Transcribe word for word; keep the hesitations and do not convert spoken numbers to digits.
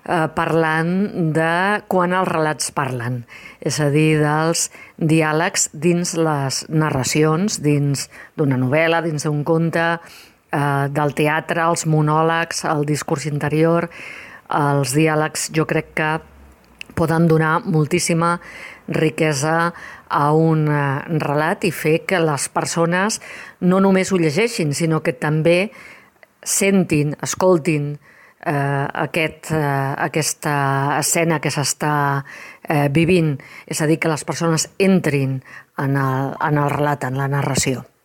eh, parlant de quan els relats parlen, és a dir, dels diàlegs dins les narracions, dins d'una novel·la, dins d'un conte, eh, del teatre, els monòlegs, el discurs interior. Els diàlegs jo crec que poden donar moltíssima riquesa a un relat i fer que les persones no només ho llegeixin, sinó que també sentin, escoltin eh, aquest, eh, aquesta escena que s'està eh, vivint. És a dir, que les persones entrin en el, en el relat, en la narració.